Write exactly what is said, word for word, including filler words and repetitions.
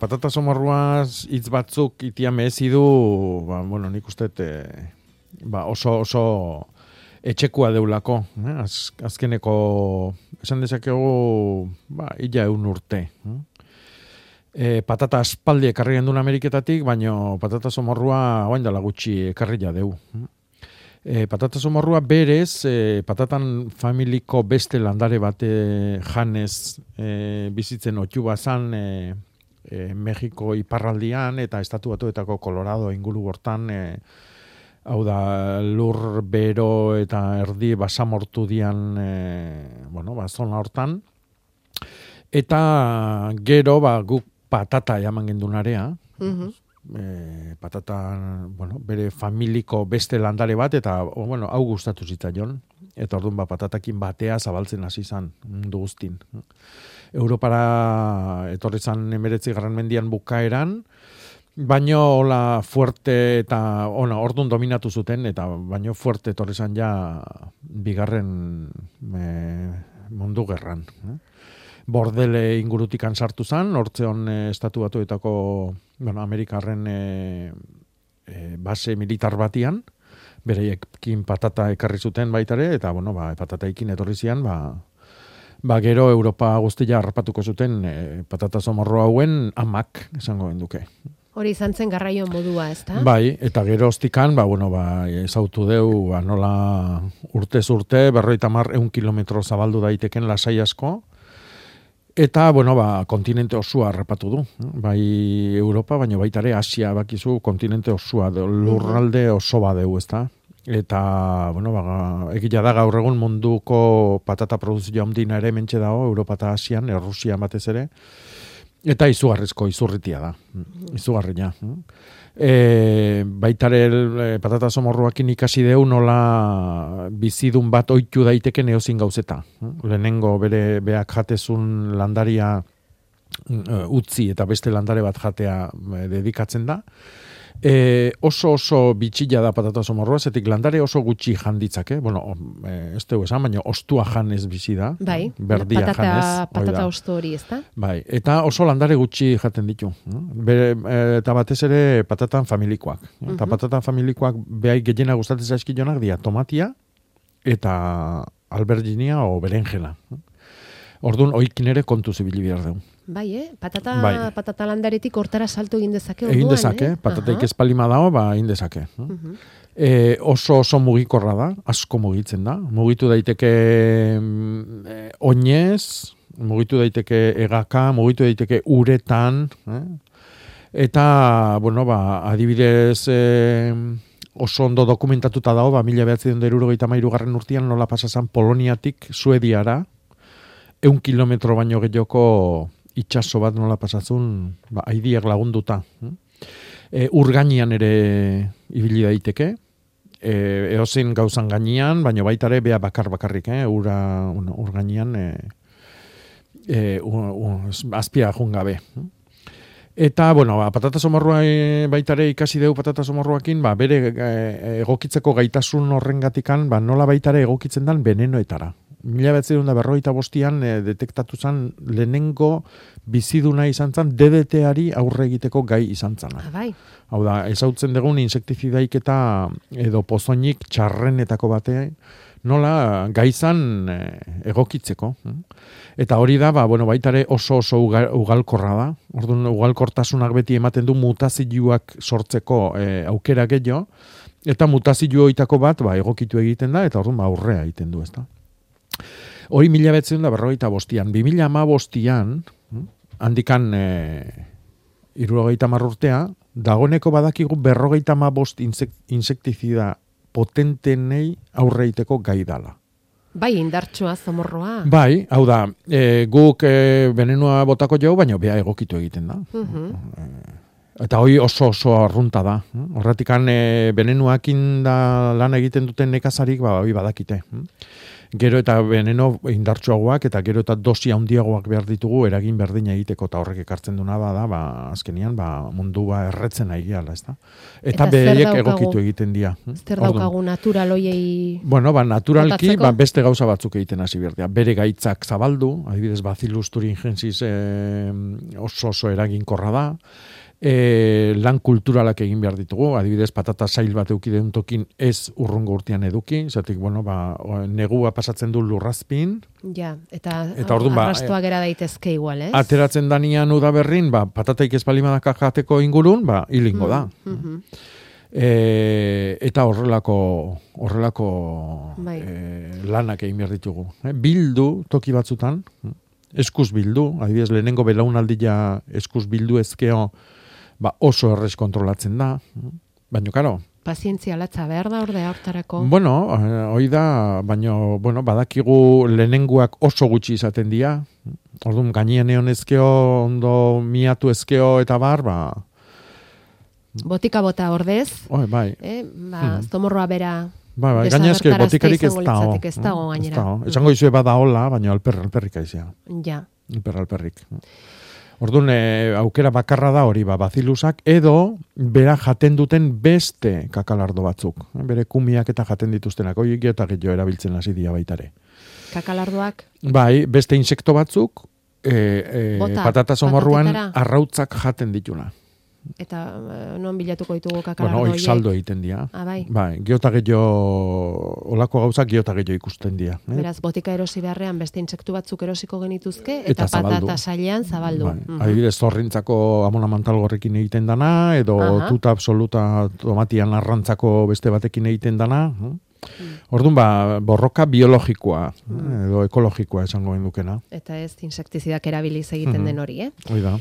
Patata somorruaz hitz batzuk itia mehezi du, ba, bueno, nik uste e, ba, oso, oso etxekua deulako. Eh? Az, azkeneko, esan dezakegu, ba, illa eun urte. Eh? E, patata aspaldi ekarri gendun Ameriketatik, baino patata somorrua oain dela gutxi ekarria deu. E, patata somorrua berez, e, patatan familiko beste landare bate janez e, bizitzen otiu bazan, e, E, Mexiko iparraldian eta estatu batuetako Colorado inguru hortan, e, hau da lur bero eta erdi basamortu dian, e, bueno, ba, zona hortan. Eta gero ba, guk patata jaman gendunarea, Mhm. e, patata, bueno, bere familiko beste landare bat, eta o, bueno, hau gustatu zitzaion. Eta orduan ba, patatakin batea zabaltzen hasi izan mundu guztin. Europara etorri zan emeretzi garren mendian bukaeran, baino hola fuerte eta ona ordun dominatu zuten, eta baino fuerte etorri zan ja bigarren e, mundu gerran. Eh? Bordele ingurutikan sartu zan, hortzeon e, estatu batuetako, bueno, Amerikarren e, e, base militar batian, bereiekin patata ekarri zuten baitare, eta bueno, ba, patataikin etorri zian, ba, ba gero Europa guztia harrapatuko zuten e, patata somorro hauen amak, esango genduke. Hori izan zen garraio modua, ezta? Bai, eta gero ostikan, ba, bueno, ba, ezautu deu, ba, nola urtez urte, berroita mar eun kilometro zabaldu daiteken lasai asko, eta, bueno, ba, kontinente osua harrapatu du. Bai Europa, baina baitare Asia bakizu kontinente osua, lurralde oso badeu, ezta? Eta, bueno, ba, egia da gaur egun munduko patata produzio handina ere mentxe dago, Europa eta Asian, Errusian batez ere, eta izugarrizko izurritia da, izugarria. E, baitare e, patata somorruakin ikasi deu nola bizidun bat oitu daiteken eozin gauzeta. Lehenengo bere beak jatezun landaria uh, utzi eta beste landare bat jatea e, dedikatzen da. E, oso oso bitxilla da patata somorrua, zetik landare oso gutxi janditzake, bueno, e, ez dugu esan, baina ostua janez bizi da, bai, berdia patata, janez. patata osto hori, ez da? Bai, eta oso landare gutxi jaten ditu. Bere, e, eta batez ere patatan familikoak. Eta uh-huh. patatan familikoak behai gehiena gustatzen zaizkionak dia tomatia eta alberginia o berenjena. Orduan, oikin ere kontu zibili behar dugu. Bai, eh? Patata, bai. patata landaretik hortara salto egin dezake. Egin orduan, dezake, eh? patataik ez palima dago, ba, egin dezake. Uh-huh. E, oso oso mugikorra da, asko mugitzen da. Mugitu daiteke e, oinez, mugitu daiteke egaka, mugitu daiteke uretan, eh? Eta, bueno, ba, adibidez, e, oso ondo dokumentatuta dago, ba, mila behatzen dut erurogeita mairu garren urtean nola pasazan Poloniatik Suediara, eun kilometro baino gehioko itxaso bat nola pasatzun, ba, aidiak lagunduta. E, urgainian ere ibili daiteke, e, eozein gauzan gainean, baina baita ere bea bakar bakarrik, eh? Ura, bueno, urgainian e, e, azpia jungabe. Eta, bueno, ba, patata somorrua e, baita ere ikasi deu patata somorruakin, ba, bere e, egokitzeko gaitasun horrengatikan, ba, nola baita ere egokitzen dan venenoetara. Mila behatzen da berroita bostian e, detektatu zan lehenengo biziduna izan zan D D T-ari aurre egiteko gai izan zana. Ah, bai. Hau da, ezautzen dugun insektizidaik eta edo pozoinik txarrenetako bate nola gai zan e, egokitzeko. Eta hori da, ba, bueno, baitare oso oso ugal, ugalkorra da. Orduan, ugalkortasunak beti ematen du mutazioak sortzeko e, aukera gehiago, eta mutazioitako bat ba, egokitu egiten da, eta orduan ba, aurrea egiten du, ezta. Hori mila betzen da berrogeita bostian. Bi mila ama bostian, handikan e, irurogeita marrurtea, dagoneko badakigu berrogeita ama bost insektizida potentenei aurreiteko gai dala. Bai, indartsua, zomorroa. Bai, hau da, e, guk e, venenua botako jau, baina bea egokitu egiten da. Uh-huh. E, eta hori oso oso arrunta da. Horratikan e, venenuakin da lan egiten duten nekazarik, ba, hori badakite. gero eta veneno indartsuagoak eta gero eta dosi handiagoak behar ditugu eragin berdina egiteko eta horrek ekartzen duna da, ba, azkenian, ba, mundua erretzen ari gehala, ez da? Eta, eta behaiek egokitu egiten dira. Zer daukagu natural hoiei... Bueno, ba, naturalki, ba, beste gauza batzuk egiten hasi berdea. Bere gaitzak zabaldu, adibidez, Bacillus thuringiensis eh, oso oso eraginkorra da, E, lan kulturalak egin behar ditugu, adibidez patata sail bat eukideun tokin ez urrungo urtean eduki, zatik, bueno, ba, negua pasatzen du lurrazpin. Ja, eta, eta orduan, ba, arrastoa gera daitezke igual, ez? Ateratzen danian udaberrin, ba, patataik ez balimadak jateko ingurun, ba, hilingo da. Mm -hmm. e, eta horrelako horrelako bai. e, lanak egin behar ditugu. E, bildu toki batzutan, eskuz bildu, adibidez, lehenengo belaunaldia eskuz bildu ezkeo, ba oso errez kontrolatzen da, baina, karo. Pazientzia latza behar da ordea hortarako? Bueno, hoi da, baina, bueno, badakigu lehenenguak oso gutxi izaten dira, orduan gainean egon ezkeo, ondo miatu ezkeo eta bar, ba... Botika bota ordez, Oi, bai. eh, ba, zomorroa bera... Ba, ba, gainazke botikarik ez dago. Ez dago gainera. Esango izue bada hola, baina alper, alperrik aizia. Ja. Alper, alperrik. Orduan, e, aukera bakarra da hori, ba, bazilusak, edo bera jaten duten beste kakalardo batzuk. Bere kumiak eta jaten dituztenak, hori geota gehiago erabiltzen hasi dira baitare. Kakalardoak? Bai, beste insekto batzuk, e, e, Bota, patata somorruan arrautzak jaten dituna. Eta non bilatuko ditugu kakalardo horiek? Bueno, oik saldo egiten dira. Ah, bai. Bai, geota gehiago, olako gauzak geota gehiago ikusten dira. Eh? Beraz, botika erosi beharrean beste intsektu batzuk erosiko genituzke, eta, eta patata sailean zabaldu. Bai. Mm-hmm. Adibidez, zorrintzako amona mantalgorrekin egiten dana, edo Aha. tuta absoluta tomatian arrantzako beste batekin egiten dana. Mm. Orduan, ba, borroka biologikoa, mm. edo ekologikoa esango dukena. Eta ez insektizidak erabiliz egiten mm-hmm. den hori, eh? Hoi da.